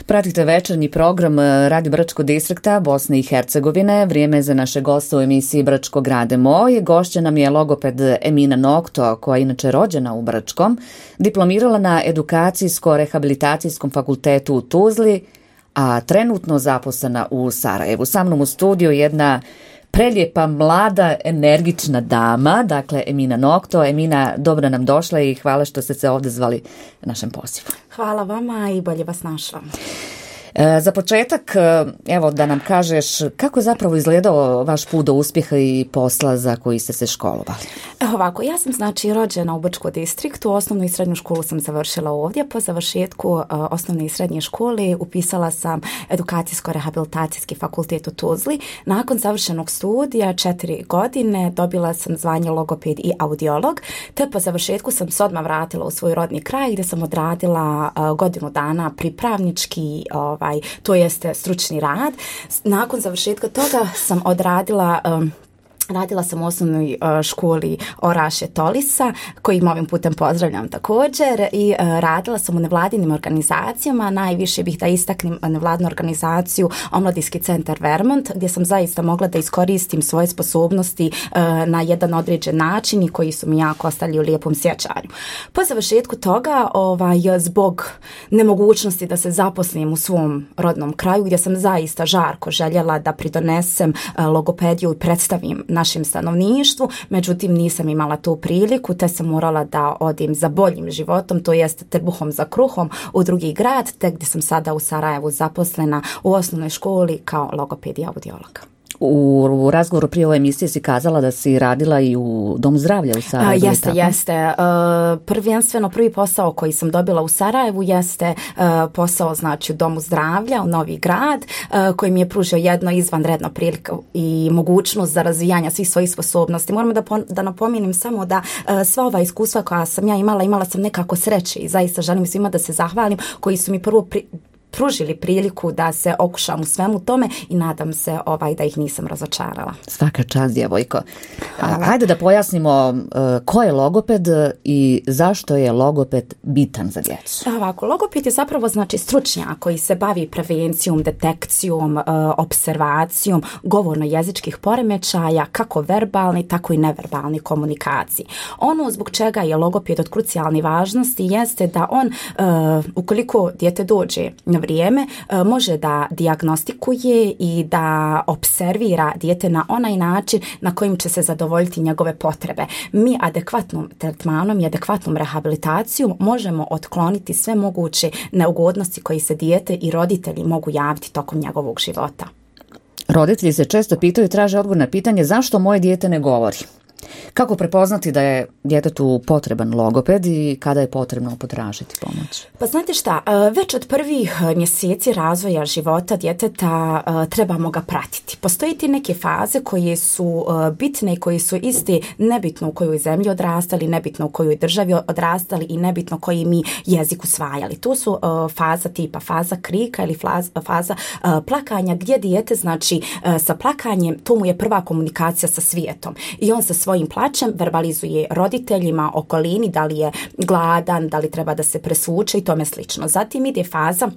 Pratite večernji program Radio Brčko distrikta Bosne i Hercegovine. Vrijeme za naše goste u emisiji Brčko grade moj. Gošća nam je logoped Emina Nokto, koja je inače rođena u Brčkom, diplomirala na Edukacijsko-rehabilitacijskom fakultetu u Tuzli, a trenutno zaposlena u Sarajevu. Sa mnom u studiju jedna prelijepa, mlada, energična dama, dakle Emina Nokto. Emina, dobro nam došla i hvala što ste se ovdje zvali našem pozivu. Hvala vama i bolje vas našla. Za početak, evo da nam kažeš kako je zapravo izgledao vaš put do uspjeha i posla za koji ste se školovali. Ovako, ja sam rođena u Brčkom distriktu, osnovnu i srednju školu sam završila ovdje. Po završetku osnovne i srednje škole upisala sam Edukacijsko-rehabilitacijski fakultet u Tuzli. Nakon završenog studija 4 godine dobila sam zvanje logoped i audiolog, te po završetku sam se odmah vratila u svoj rodni kraj gdje sam odradila godinu dana pripravnički to jeste stručni rad. Nakon završetka toga sam radila sam u osnovnoj školi Oraše Tolisa, kojim ovim putem pozdravljam također, i radila sam u nevladinim organizacijama. Najviše bih da istaknem nevladinu organizaciju Omladinski centar Vermont, gdje sam zaista mogla da iskoristim svoje sposobnosti na jedan određen način i koji su mi jako ostali u lijepom sjećanju. Po završetku toga, zbog nemogućnosti da se zaposlim u svom rodnom kraju, gdje sam zaista žarko željela da pridonesem logopediju i predstavim našem stanovništvu, međutim nisam imala tu priliku, te sam morala da odim za boljim životom, to jest trbuhom za kruhom u drugi grad, te gdje sam sada u Sarajevu zaposlena u osnovnoj školi kao logoped i audiolog. U razgovoru prije ove emisije si kazala da si radila i u Domu zdravlja u Sarajevu. Jeste. Prvenstveno prvi posao koji sam dobila u Sarajevu jeste posao u Domu zdravlja u Novi Grad, koji mi je pružio jedno izvanredno priliku i mogućnost za razvijanje svih svojih sposobnosti. Moram da napomenem samo da sva ova iskustva koja sam ja imala sam nekako sreće i zaista želim svima da se zahvalim koji su mi prvo pružili priliku da se okušam u svemu tome i nadam se da ih nisam razočarala. Svaka čast, djevojko. Hajde da pojasnimo ko je logoped i zašto je logoped bitan za djecu. Ovako, logoped je zapravo stručnjak koji se bavi prevencijom, detekcijom, observacijom govorno-jezičkih poremećaja, kako verbalni, tako i neverbalni komunikaciji. Ono zbog čega je logoped od krucijalne važnosti jeste da on, ukoliko dijete dođe na vrijeme, može da dijagnostikuje i da observira dijete na onaj način na kojim će se zadovoljiti njegove potrebe. Mi adekvatnom tretmanom i adekvatnom rehabilitacijom možemo otkloniti sve moguće neugodnosti koji se dijete i roditelji mogu javiti tokom njegovog života. Roditelji se često pitaju i traže odgovor na pitanje zašto moje dijete ne govori. Kako prepoznati da je djetetu potreban logoped i kada je potrebno potražiti pomoć? Pa znate šta, već od prvih mjeseci razvoja života djeteta trebamo ga pratiti. Postoji ti neke faze koje su bitne i koje su iste, nebitno u kojoj zemlji odrastali, nebitno u kojoj državi odrastali i nebitno koji mi jezik usvajali. To su faza tipa faza krika ili faza plakanja, gdje dijete sa plakanjem, to mu je prva komunikacija sa svijetom i on sa svojim plaćem verbalizuje roditeljima, okolini, da li je gladan, da li treba da se presvuče i tome slično. Zatim ide faza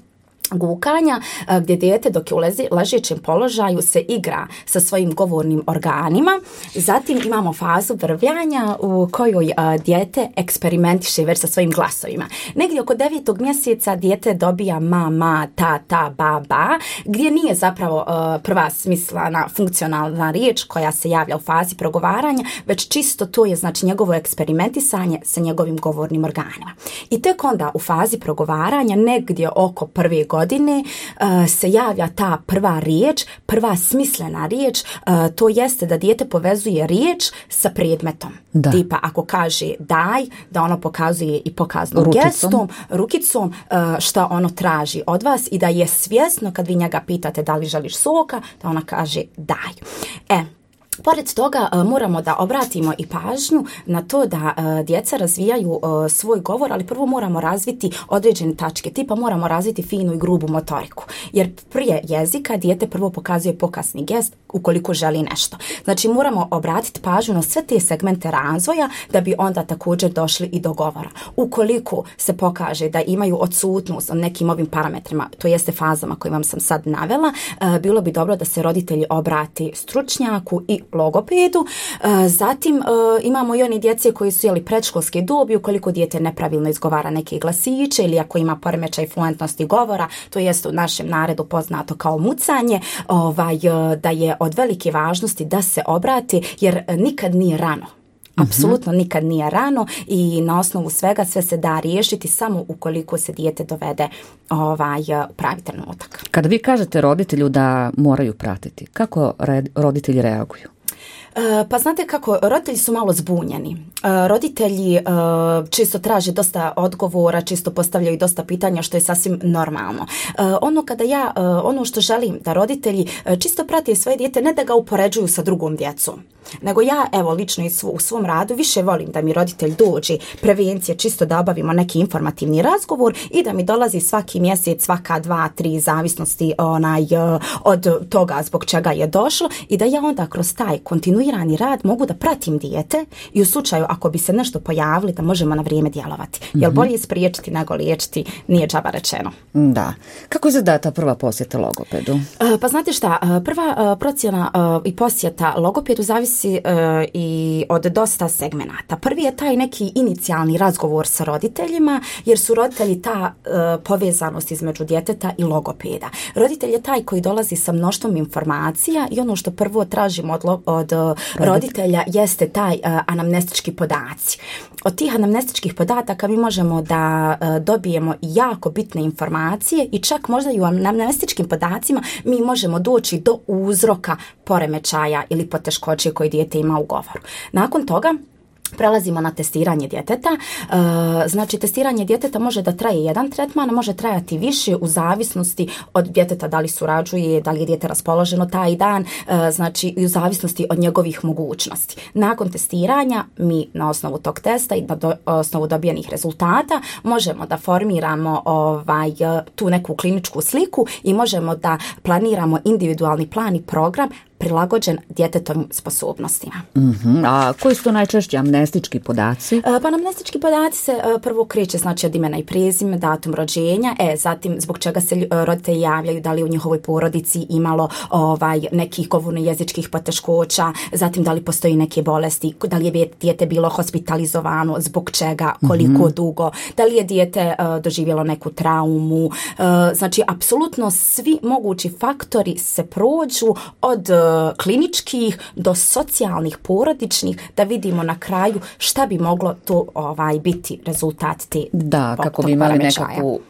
gukanja, gdje dijete dok je u ležećem položaju se igra sa svojim govornim organima. Zatim imamo fazu vrvljanja u kojoj dijete eksperimentiše već sa svojim glasovima. Negdje oko 9. mjeseca dijete dobija ma, ta, ba, gdje nije zapravo prva smislena funkcionalna riječ koja se javlja u fazi progovaranja, već čisto to je njegovo eksperimentisanje sa njegovim govornim organima. I tek onda u fazi progovaranja negdje oko prve godine se javlja ta prva riječ, prva smislena riječ, to jeste da dijete povezuje riječ sa predmetom. Da. Tipa ako kaže daj, da ono pokazuje i pokaznom gestom, rukicom šta ono traži od vas i da je svjesno kad vi njega pitate da li želiš soka, da ona kaže daj. Pored toga moramo da obratimo i pažnju na to da djeca razvijaju svoj govor, ali prvo moramo razviti određene tačke, tipa moramo razviti finu i grubu motoriku. Jer prije jezika dijete prvo pokazuje pokasni gest ukoliko želi nešto. Znači moramo obratiti pažnju na sve te segmente razvoja da bi onda također došli i do govora. Ukoliko se pokaže da imaju odsutnost od nekim ovim parametrima, to jeste fazama koje vam sam sad navela, bilo bi dobro da se roditelji obrati stručnjaku i logopedu. Zatim imamo i oni djece koji su predškolske dobi, ukoliko dijete nepravilno izgovara neke glasiće ili ako ima poremećaj fluentnosti govora, to jest u našem narodu poznato kao mucanje, da je od velike važnosti da se obrati jer nikad nije rano. Apsolutno nikad nije rano i na osnovu svega sve se da riješiti samo ukoliko se dijete dovede pravi trenutak. Kada vi kažete roditelju da moraju pratiti, kako roditelji reaguju? Pa znate kako, roditelji su malo zbunjeni. Roditelji često traže dosta odgovora, često postavljaju dosta pitanja, što je sasvim normalno. Ono što želim da roditelji čisto prate svoje dijete, ne da ga upoređuju sa drugom djecom, nego ja, lično u svom radu više volim da mi roditelj dođe, prevencije, čisto da obavimo neki informativni razgovor i da mi dolazi svaki mjesec, svaka 2-3 zavisnosti od toga zbog čega je došlo i da ja onda kroz taj kontinuirani rad mogu da pratim dijete i u slučaju ako bi se nešto pojavili da možemo na vrijeme djelovati. Jer bolje spriječiti nego liječiti, nije džaba rečeno. Da. Kako izgleda ta prva posjeta logopedu? Pa znate šta, prva procjena i posjeta logopedu zavisi i od dosta segmenata. Prvi je taj neki inicijalni razgovor sa roditeljima, jer su roditelji ta povezanost između djeteta i logopeda. Roditelj je taj koji dolazi sa mnoštvom informacija i ono što prvo tražimo od roditelja jeste taj anamnestički podaci. Od tih anamnestičkih podataka mi možemo da dobijemo jako bitne informacije i čak možda i u anamnestičkim podacima mi možemo doći do uzroka poremećaja ili poteškoće koje dijete ima u govoru. Nakon toga prelazimo na testiranje djeteta. Znači, testiranje djeteta može da traje jedan tretman, može trajati više u zavisnosti od djeteta da li surađuje, da li je dijete raspoloženo taj dan, znači i u zavisnosti od njegovih mogućnosti. Nakon testiranja mi na osnovu tog testa i na osnovu dobijenih rezultata možemo da formiramo tu neku kliničku sliku i možemo da planiramo individualni plan i program prilagođen djetetovim sposobnostima. A koji su to najčešće amnestički podaci? Pa amnestički podaci se prvo kreće znači od imena i prezime, datum rođenja, zatim zbog čega se roditelji javljaju, da li u njihovoj porodici imalo nekih govorno-jezičkih poteškoća, zatim da li postoji neke bolesti, da li je dijete bilo hospitalizovano, zbog čega, koliko dugo, da li je dijete doživjelo neku traumu. Znači, apsolutno svi mogući faktori se prođu od kliničkih do socijalnih, porodičnih, da vidimo na kraju šta bi moglo to biti rezultat te kako bi imali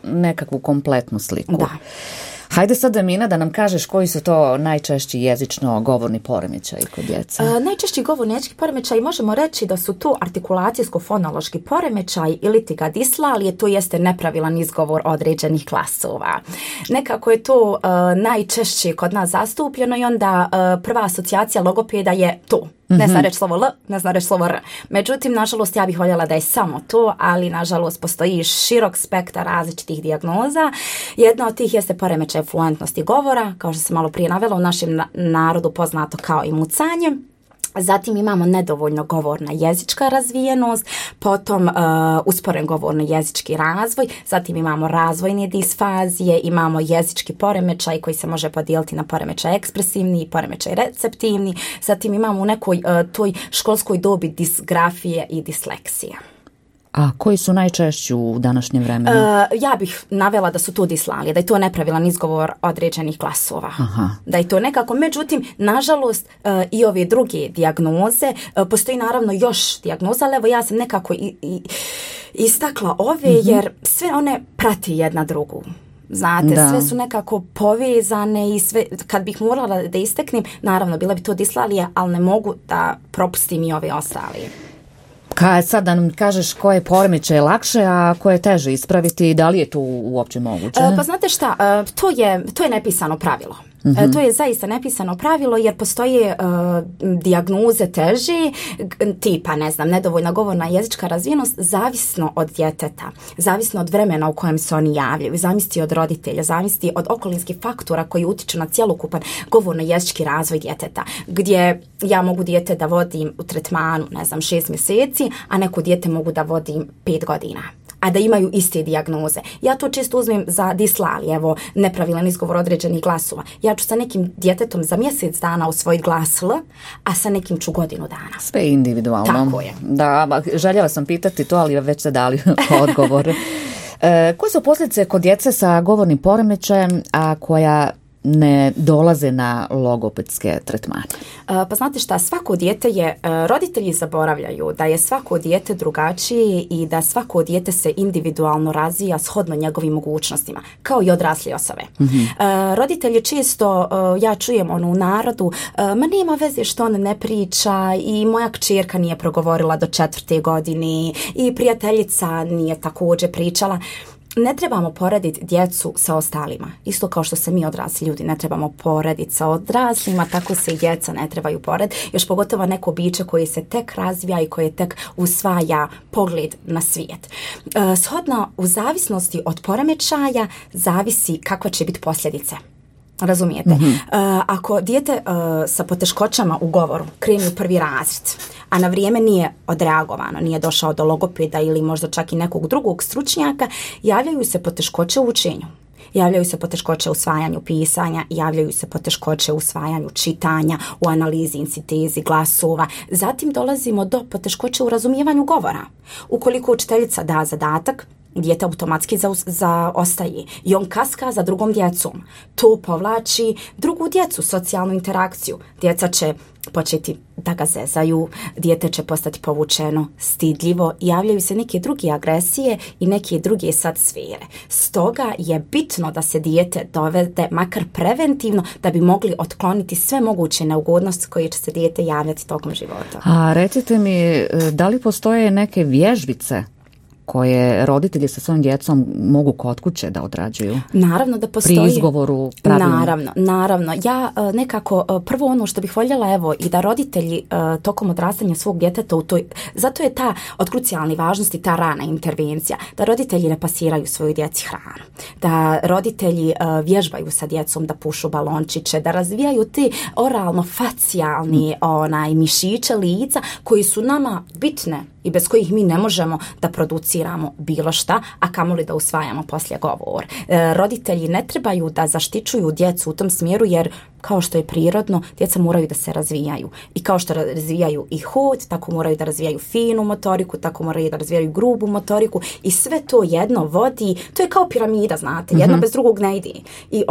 nekakvu kompletnu sliku. Da. Hajde sad, Emina, da nam kažeš koji su to najčešći jezično-govorni poremećaji kod djece. Najčešći govorni jezički poremećaji možemo reći da su to artikulacijsko-fonološki poremećaj ili dislalije, to jeste nepravilan izgovor određenih glasova. Nekako je to najčešće kod nas zastupljeno i onda prva asocijacija logopeda je to. Ne zna reći slovo L, ne zna reći slovo R. Međutim, nažalost, ja bih voljela da je samo to, ali nažalost postoji širok spektar različitih dijagnoza. Jedna od tih jeste poremećaj fluentnosti govora, kao što sam malo prije navela, u našem narodu poznato kao i mucanje. Zatim imamo nedovoljno govorna jezička razvijenost, potom usporen govorno-jezički razvoj, zatim imamo razvojne disfazije, imamo jezički poremećaj koji se može podijeliti na poremećaj ekspresivni i poremećaj receptivni, zatim imamo u nekoj toj školskoj dobi disgrafije i disleksije. A koji su najčešći u današnjem vremenu? Ja bih navela da su to dislalije, da je to nepravilan izgovor određenih glasova. Da je to nekako, međutim, nažalost, i ove druge dijagnoze, postoji naravno još dijagnoza, ali evo ja sam nekako istakla ove, jer sve one prati jedna drugu. Znate, sve su nekako povezane i sve, kad bih morala da isteknem, naravno, bila bi to dislalija, ali ne mogu da propustim i ove ostale. Sad da nam kažeš koje poremećaje je lakše, a koje je teže ispraviti i da li je to uopće moguće? Pa znate šta, to je nepisano pravilo. To je zaista nepisano pravilo jer postoje dijagnoze teže, tipa, ne znam, nedovoljna govorna jezička razvijenost, zavisno od djeteta, zavisno od vremena u kojem se oni javljaju, zavisi od roditelja, zavisi od okolinskih faktora koji utiču na cjelokupan govorno-jezički razvoj djeteta, gdje ja mogu dijete da vodim u tretmanu, ne znam, 6 mjeseci, a neko dijete mogu da vodim 5 godina. A da imaju iste dijagnoze. Ja to često uzmem za dislali, evo, nepravilan izgovor određenih glasova. Ja ću sa nekim djetetom za mjesec dana usvojiti glas L, a sa nekim ću godinu dana. Sve individualno. Tako je. Da, željela sam pitati to, ali već ste dali odgovor. Koje su posljedice kod djece sa govornim poremećajem, a koja ne dolaze na logopedske tretmane? Pa znate šta, svako dijete je, roditelji zaboravljaju da je svako dijete drugačije i da svako dijete se individualno razvija shodno njegovim mogućnostima, kao i odrasli osobe. Roditelji često, ja čujem u narodu, ma nema veze što on ne priča i moja kćerka nije progovorila do 4. godine i prijateljica nije također pričala. Ne trebamo porediti djecu sa ostalima. Isto kao što se mi odrasli ljudi ne trebamo porediti sa odraslima, tako se i djeca ne trebaju porediti. Još pogotovo neko biće koje se tek razvija i koje tek usvaja pogled na svijet. Shodno u zavisnosti od poremećaja zavisi kakva će biti posljedice. Razumijete? Ako dijete sa poteškoćama u govoru krene u 1. razred, a na vrijeme nije odreagovano, nije došao do logopeda ili možda čak i nekog drugog stručnjaka, javljaju se poteškoće u učenju. Javljaju se poteškoće u usvajanju pisanja, javljaju se poteškoće u usvajanju čitanja, u analizi i sintezi glasova. Zatim dolazimo do poteškoće u razumijevanju govora. Ukoliko učiteljica da zadatak, dijete automatski zaostaje i on kaska za drugom djecom. To povlači drugu djecu, socijalnu interakciju. Djeca će početi da ga zezaju, dijete će postati povučeno, stidljivo, javljaju se neke druge agresije i neke druge sad sfere. Stoga je bitno da se dijete dovede makar preventivno da bi mogli otkloniti sve moguće neugodnosti koje će se dijete javljati tokom života. A recite mi, da li postoje neke vježbice koje roditelji sa svojim djecom mogu kod kuće da odrađuju? Naravno da postoji. Pri izgovoru pravilno. Naravno. Ja nekako prvo ono što bih voljela, evo, i da roditelji tokom odrastanja svog djeteta zato je ta od krucijalne važnosti ta rana intervencija, da roditelji ne pasiraju svoju djeci hranu, da roditelji vježbaju sa djecom da pušu balončiće, da razvijaju te oralno-facijalni mišiće lica koji su nama bitne i bez kojih mi ne možemo da produciramo bilo šta, a kamoli da usvajamo poslije govor. Roditelji ne trebaju da zaštićuju djecu u tom smjeru, jer kao što je prirodno, djeca moraju da se razvijaju. I kao što razvijaju i hod, tako moraju da razvijaju finu motoriku, tako moraju da razvijaju grubu motoriku i sve to jedno vodi, to je kao piramida, znate, jedno bez drugog ne ide. I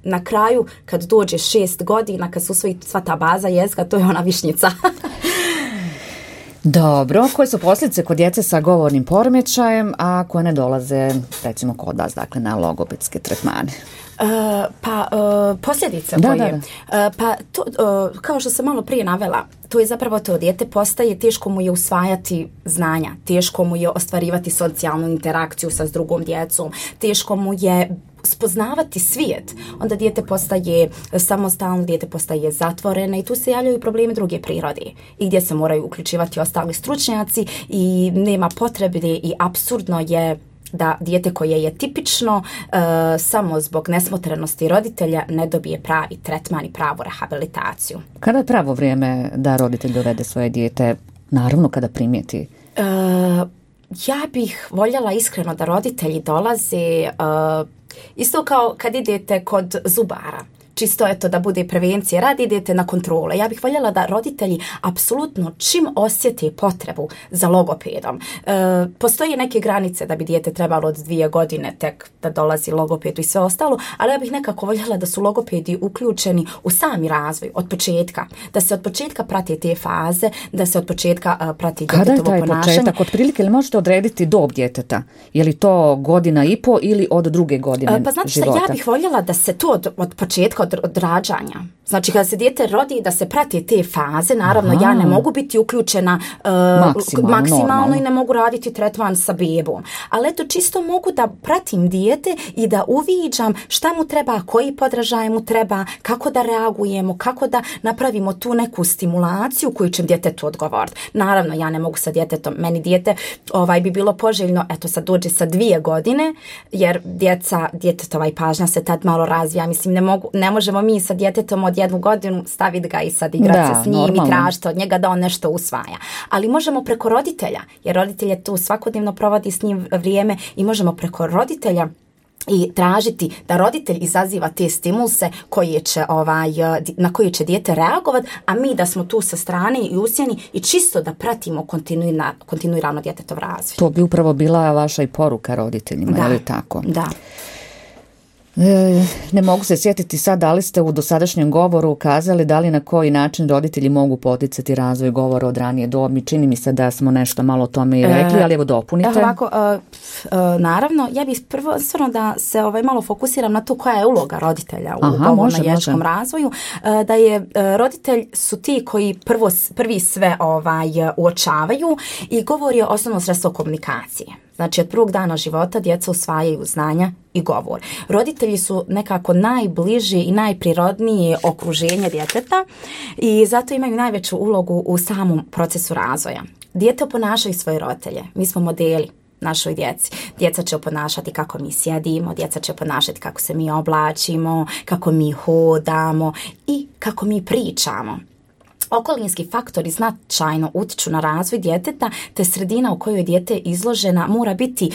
na kraju, kad dođe 6 godina, kad se usvoji sva ta baza jezika, to je ona višnjica. Dobro, koje su posljedice kod djece sa govornim poremećajem, a koje ne dolaze, recimo, kod vas, dakle, na logopedske tretmane? Posljedice koje... Pa to, kao što sam malo prije navela, to je zapravo to, dijete postaje, teško mu je usvajati znanja, teško mu je ostvarivati socijalnu interakciju sa drugom djecom, teško mu je spoznavati svijet, onda dijete postaje samostalno, dijete postaje zatvoreno i tu se javljaju problemi druge prirode i gdje se moraju uključivati ostali stručnjaci i nema potrebe i apsurdno je da dijete koje je tipično samo zbog nesmotrenosti roditelja ne dobije pravi tretman i pravu rehabilitaciju. Kada je pravo vrijeme da roditelj dovede svoje dijete, naravno kada primijeti? Ja bih voljela iskreno da roditelji dolaze isto kao kad idete kod zubara. Čisto eto da bude prevencija, radi idete na kontrole. Ja bih voljela da roditelji apsolutno čim osjete potrebu za logopedom. Postoje neke granice da bi dijete trebalo od 2 godine tek da dolazi logopedu i sve ostalo, ali ja bih nekako voljela da su logopedi uključeni u sami razvoj od početka. Da se od početka prati te faze, da se od početka prati djetetovo ponašanje. Kada je taj početak? Otprilike li možete odrediti dob djeteta? Je li to 1,5 godina ili od 2 godine Pa znate života? Ja bih voljela da se to od početka, od rađanja. Znači, kada se dijete rodi, da se prati te faze, naravno, ja ne mogu biti uključena maksimalno i ne mogu raditi tretman sa bebom. Ali eto, čisto mogu da pratim dijete i da uviđam šta mu treba, koji podražaj mu treba, kako da reagujemo, kako da napravimo tu neku stimulaciju koju će djetetu odgovoriti. Naravno, ja ne mogu sa djetetom, meni dijete bi bilo poželjno, eto sad dođe sa 2 godine, jer djetetova pažnja se tad malo razvija. Mislim, ne možemo mi sa djetetom od 1 godinu staviti ga i sad igrati se s njim i tražiti od njega da on nešto usvaja. Ali možemo preko roditelja, jer roditelj je tu svakodnevno provodi s njim vrijeme i možemo preko roditelja i tražiti da roditelj izaziva te stimulse na koje će dijete reagovati, a mi da smo tu sa strane i usjeni i čisto da pratimo kontinuirano djetetov razvoj. To bi upravo bila vaša i poruka roditeljima, je li tako? Da. Ne mogu se sjetiti sad da li ste u dosadašnjem govoru ukazali da li na koji način roditelji mogu poticati razvoj govora od ranije dobi. Čini mi se da smo nešto malo o tome i rekli, ali evo dopunite. Naravno, ja bih prvo stvarno da se malo fokusiram na to koja je uloga roditelja u govorno-jezičkom razvoju. Da je roditelj su ti koji prvi sve uočavaju i govor je osnovno sredstvo komunikacije. Znači, od prvog dana života djeca usvajaju znanja i govor. Roditelji su nekako najbliži i najprirodnije okruženje djeteta i zato imaju najveću ulogu u samom procesu razvoja. Dijete oponašaju svoje roditelje. Mi smo modeli našoj djeci. Djeca će oponašati kako mi sjedimo, djeca će oponašati kako se mi oblačimo, kako mi hodamo i kako mi pričamo. Okolinski faktori značajno utiču na razvoj djeteta, te sredina u kojoj je dijete izložena mora biti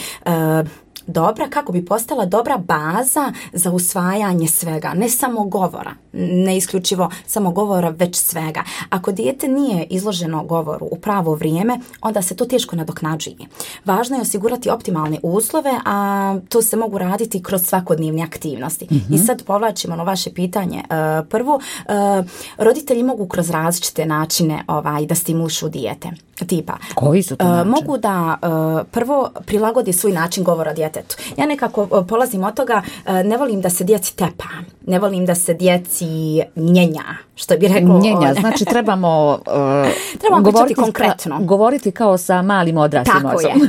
dobra kako bi postala dobra baza za usvajanje svega, ne samo govora, ne isključivo samo govora, već svega. Ako dijete nije izloženo govoru u pravo vrijeme, onda se to teško nadoknađuje. Važno je osigurati optimalne uslove, a to se mogu raditi kroz svakodnevne aktivnosti. I sad povlačimo na vaše pitanje. Prvo, roditelji mogu kroz različite načine da stimulišu dijete. Tipa, koji su to način? Mogu da prvo prilagodi svoj način govora djetetu. Ja nekako polazim od toga, ne volim da se djeci tepa, ne volim da se djeci njenja, što bi rekao. Njenja, znači trebamo govoriti konkretno. Govoriti kao sa malim odraslim osobom.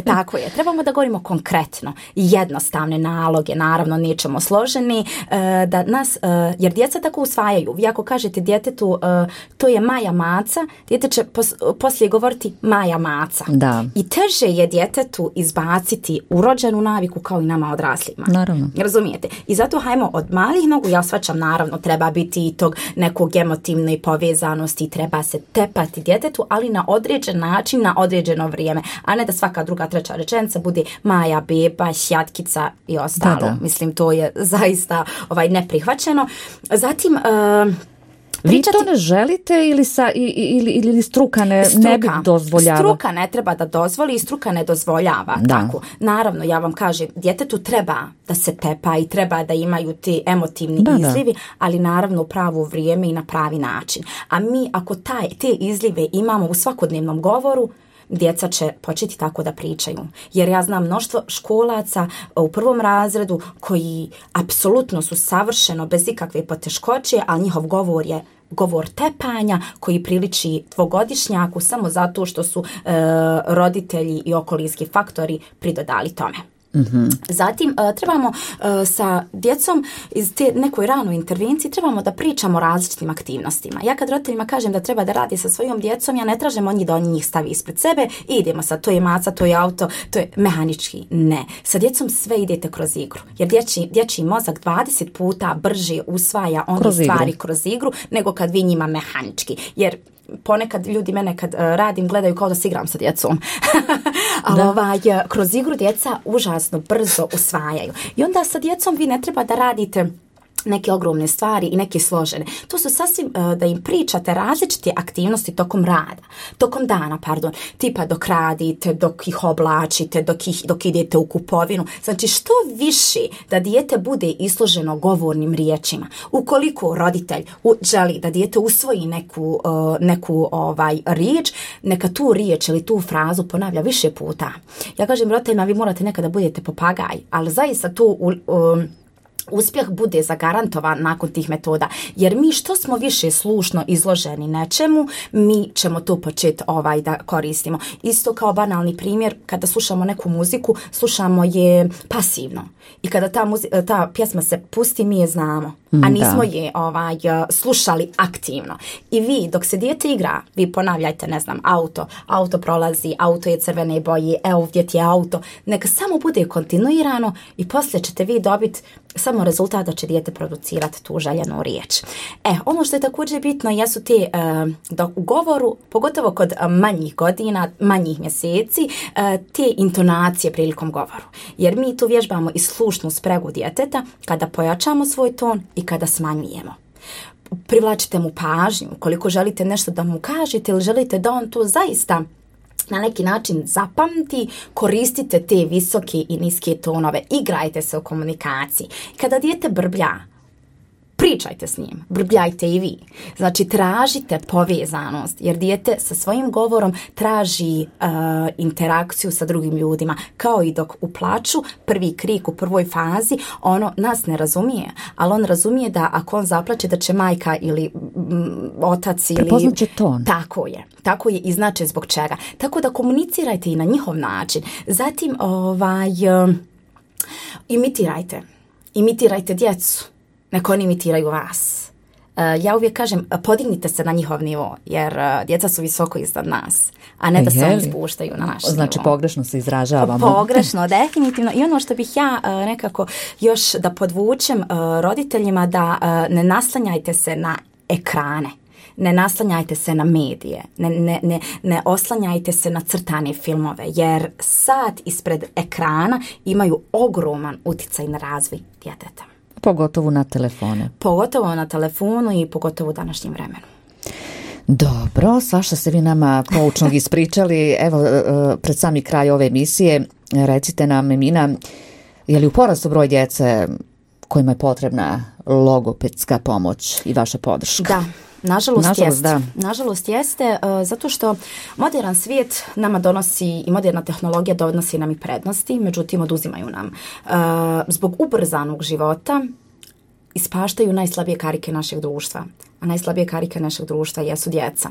Tako je. Trebamo da govorimo konkretno. Jednostavne naloge, naravno nećemo složeni, da nas, jer djeca tako usvajaju. Vi ako kažete djetetu to je Maja maca, dijete će poslije govoriti Maja maca. Da. I teže je djetetu izbaciti urođenu naviku kao i nama odraslima. Naravno. Razumijete? I zato hajmo od malih nogu, ja shvaćam, naravno treba biti i tog nekog emotivne povezanosti, treba se tepati djetetu, ali na određen način, na određeno vrijeme, a ne da svaka druga, treća rečenica bude Maja, beba, šjatkica i ostalo. Da. Mislim, to je zaista neprihvaćeno. Zatim, vi to ne želite ili struka ne bi dozvoljava? Struka ne treba da dozvoli i struka ne dozvoljava. Tako. Naravno, ja vam kažem, djetetu treba da se tepa i treba da imaju ti emotivni izlivi, ali naravno u pravo vrijeme i na pravi način. A mi ako te izlive imamo u svakodnevnom govoru, djeca će početi tako da pričaju. Jer ja znam mnoštvo školaca u 1. razredu koji apsolutno su savršeno bez ikakve poteškoće, ali njihov govor je govor tepanja koji priliči 2-godišnjaku samo zato što su roditelji i okolinski faktori pridodali tome. Zatim trebamo sa djecom iz te nekoj ranoj intervenciji trebamo da pričamo o različitim aktivnostima. Ja kad roditeljima kažem da treba da radi sa svojom djecom, ja ne tražim od njih da njih stavi ispred sebe i idemo sad, to je maca, to je auto, to je mehanički. Ne. Sa djecom sve idete kroz igru. Jer dječji mozak 20 puta brže usvaja one stvari kroz igru nego kad vi njima mehanički. Jer ponekad ljudi mene kad radim gledaju kao da se igram sa djecom. Ali kroz igru djeca užasno brzo usvajaju. I onda sa djecom vi ne treba da radite neke ogromne stvari i neke složene. To su sasvim da im pričate različite aktivnosti tokom dana, tipa dok radite, dok ih oblačite, dok idete u kupovinu. Znači što više da dijete bude izloženo govornim riječima. Ukoliko roditelj želi da dijete usvoji neku riječ, neka tu riječ ili tu frazu ponavlja više puta. Ja kažem roditeljima, vi morate nekada budete papagaj, ali zaista tu uspjeh bude zagarantovan nakon tih metoda. Jer mi što smo više slušno izloženi nečemu, mi ćemo to početi da koristimo. Isto kao banalni primjer, kada slušamo neku muziku, slušamo je pasivno. I kada ta pjesma se pusti, mi je znamo. A nismo je slušali aktivno. I vi, dok se dijete igra, vi ponavljajte, ne znam, auto prolazi, auto je crvene boje, evo gdje ti je auto. Neka samo bude kontinuirano i poslije ćete vi dobiti samo rezultat da će dijete producirati tu željenu riječ. Ono što je također bitno jesu te u govoru, pogotovo kod manjih godina, manjih mjeseci, te intonacije prilikom govoru. Jer mi tu vježbamo i slušnu spregu djeteta kada pojačamo svoj ton i kada smanjujemo. Privlačite mu pažnju, koliko želite nešto da mu kažete ili želite da on to zaista na neki način zapamti, koristite te visoke i niske tonove, igrajte se u komunikaciji. Kada dijete brblja, pričajte s njim, brbljajte i vi. Znači, tražite povezanost, jer dijete sa svojim govorom traži interakciju sa drugim ljudima. Kao i dok u plaču, prvi krik u prvoj fazi, ono nas ne razumije, ali on razumije da ako on zaplače, da će majka ili otac ili... Prepoznaće ton. Tako je i znači zbog čega. Tako da komunicirajte i na njihov način. Zatim, imitirajte djecu. Neko oni imitiraju vas. Ja uvijek kažem, podignite se na njihov nivo, jer djeca su visoko iznad nas, a ne da se oni spuštaju na naš nivo. Znači, pogrešno se izražavamo. Pogrešno, definitivno. I ono što bih ja nekako još da podvučem roditeljima, da ne naslanjajte se na ekrane. Ne naslanjajte se na medije, ne oslanjajte se na crtane filmove, jer sat ispred ekrana imaju ogroman utjecaj na razvoj djeteta. Pogotovo na telefone. Pogotovo na telefonu i pogotovo u današnjem vremenu. Dobro, svašta ste vi nama poučnog ispričali. Evo, pred sami kraj ove emisije, recite nam, Emina, je li u porastu broj djece kojima je potrebna logopedska pomoć i vaša podrška? Da. Nažalost jeste, zato što modern svijet nama donosi i moderna tehnologija donosi nam i prednosti, međutim oduzimaju nam. Zbog ubrzanog života ispaštaju najslabije karike našeg društva, a najslabije karike našeg društva jesu djeca.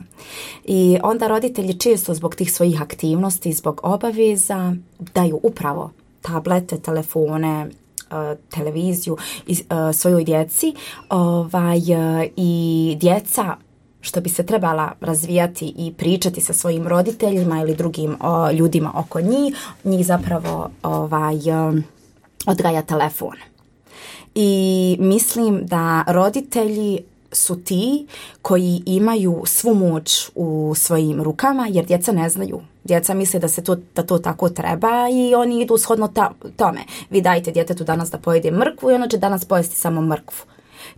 I onda roditelji često zbog tih svojih aktivnosti, zbog obaveza daju upravo tablete, telefone, televiziju svojoj djeci i djeca što bi se trebala razvijati i pričati sa svojim roditeljima ili drugim ljudima oko njih zapravo odgaja telefon. I mislim da roditelji su ti koji imaju svu moć u svojim rukama, jer djeca ne znaju. Djeca misle da to tako treba i oni idu shodno tome. Vi dajte djetetu danas da pojede mrkvu i ono će danas pojesti samo mrkvu.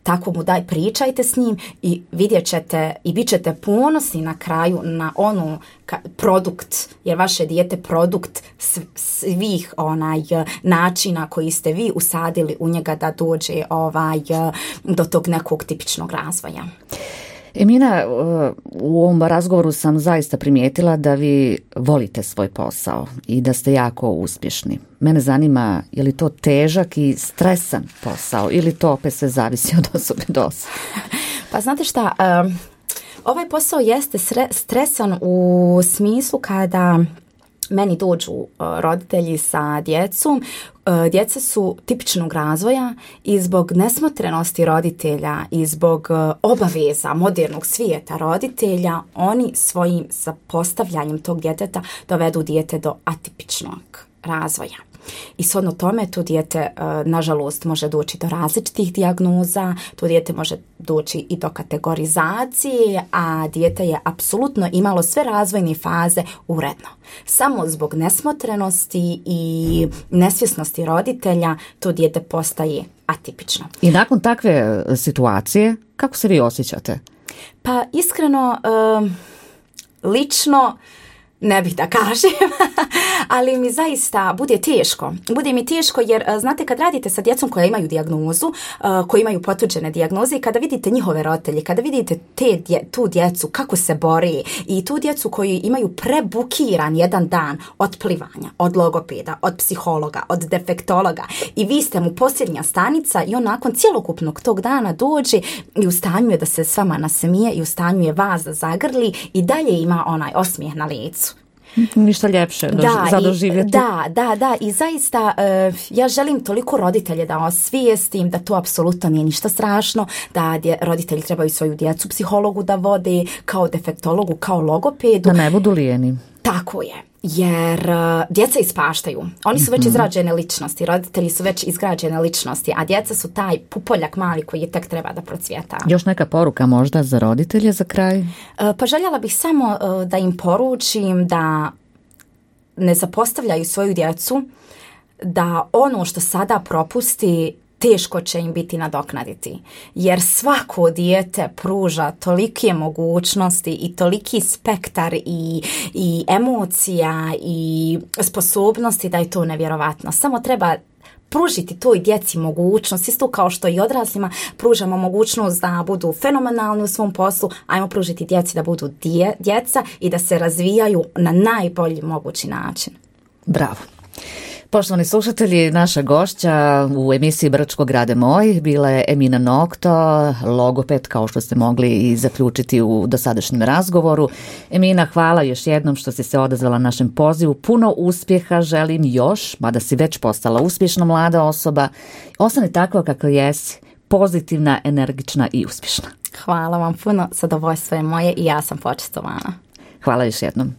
Tako mu pričajte s njim i vidjet ćete i bit ćete ponosni na kraju na produkt, jer vaše dijete produkt svih načina koji ste vi usadili u njega da dođe do tog nekog tipičnog razvoja. Emina, u ovom razgovoru sam zaista primijetila da vi volite svoj posao i da ste jako uspješni. Mene zanima, je li to težak i stresan posao ili to opet sve zavisi od osobe do osobe? Pa znate šta, ovaj posao jeste stresan u smislu kada meni dođu roditelji sa djecom. Djeca su tipičnog razvoja i zbog nesmotrenosti roditelja i zbog obaveza modernog svijeta roditelja, oni svojim zapostavljanjem tog djeteta dovedu dijete do atipičnog razvoja. I shodno tome to dijete nažalost može doći do različitih dijagnoza, to dijete može doći i do kategorizacije, a dijete je apsolutno imalo sve razvojne faze uredno. Samo zbog nesmotrenosti i nesvjesnosti roditelja to dijete postaje atipično. I nakon takve situacije, kako se vi osjećate? Pa iskreno, lično, Ne bih da kažem, ali mi zaista bude teško. Bude mi teško jer, znate, kad radite sa djecom koja imaju dijagnozu, koji imaju potvrđene dijagnoze i kada vidite njihove roditelje, kada vidite tu djecu kako se bori i tu djecu koji imaju prebukiran jedan dan od plivanja, od logopeda, od psihologa, od defektologa i vi ste mu posljednja stanica i on nakon cjelokupnog tog dana dođe i u stanju je da se s vama nasmije i u stanju je vas da zagrli i dalje ima onaj osmijeh na licu. Ništa ljepše za doživjeti. Da. I zaista ja želim toliko roditelje da osvijestim da to apsolutno nije ništa strašno, da roditelji trebaju svoju djecu psihologu da vode, kao defektologu, kao logopedu. Da ne budu lijeni. Tako je. Jer djeca ispaštaju. Oni su već izrađene ličnosti, roditelji su već izgrađene ličnosti, a djeca su taj pupoljak mali koji je tek treba da procvjeta. Još neka poruka možda za roditelje za kraj? Pa željela bih samo da im poručim da ne zapostavljaju svoju djecu, da ono što sada propusti teško će im biti nadoknaditi. Jer svako dijete pruža tolike mogućnosti i toliki spektar i emocija i sposobnosti da je to nevjerovatno. Samo treba pružiti toj djeci mogućnost, isto kao što i odraslima pružamo mogućnost da budu fenomenalni u svom poslu, ajmo pružiti djeci da budu djeca i da se razvijaju na najbolji mogući način. Bravo. Poštovani slušatelji, naša gošća u emisiji Bračko grade moj bila je Emina Nokto, logoped, kao što ste mogli i zaključiti u dosadašnjem razgovoru. Emina, hvala još jednom što si se odazvala našem pozivu. Puno uspjeha želim još, mada si već postala uspješna mlada osoba. Ostani takva kakva jesi, pozitivna, energična i uspješna. Hvala vam puno, zadovoljstvo je moje i ja sam počastovana. Hvala još jednom.